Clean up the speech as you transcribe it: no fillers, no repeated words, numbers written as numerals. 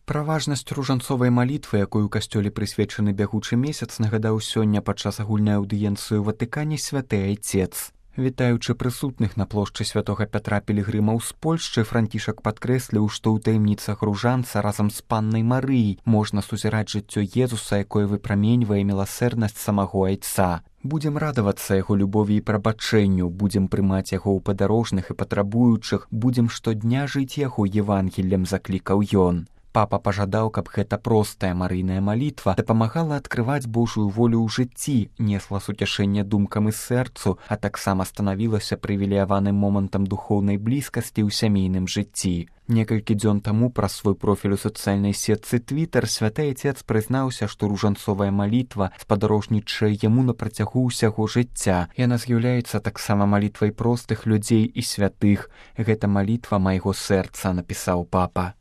Пра важнасць ружанцовай малітвы, якой у касцёле прысвечаны бягучы месяц, нагадаў сёння падчас агульнай аўдыенцыі ў Ватыкане святы айцец. Вітаючы прысутных на плошчы святога Пятра пілігрымаў з Польшчы, Францішак падкрэсліў, што ў таямніцах ружанца разам з паннай Марыяй можна сузіраць жыццё Езуса, якое выпраменьвае міласэрнасць самого айца. Будзем радавацца яго любові і прабачэнню, будзем прымаць яго ў падарожных і патрабуючых, будзем штодня жыць яго Евангеллем, заклікаў ён. Папа пажадаў, каб гэта простая марыйная малітва дапамагала адкрываць Божую волю ў жыцці, несла суцяшэнне думкам і сэрцу, а таксама станавілася прывілеяваным момантам духоўнай блізкасці ў сямейным жыцці. Некалькі дзён таму праз свой профіль у сацыяльнай сетцы Твітер святы айцец прызнаўся, што ружанцовая малітва спадарожнічае яму на працягу ўсяго жыцця. Яна з'яўляецца таксама малітвай простых людзей і святых. Гэта малітва майго сэрца, напісаў папа.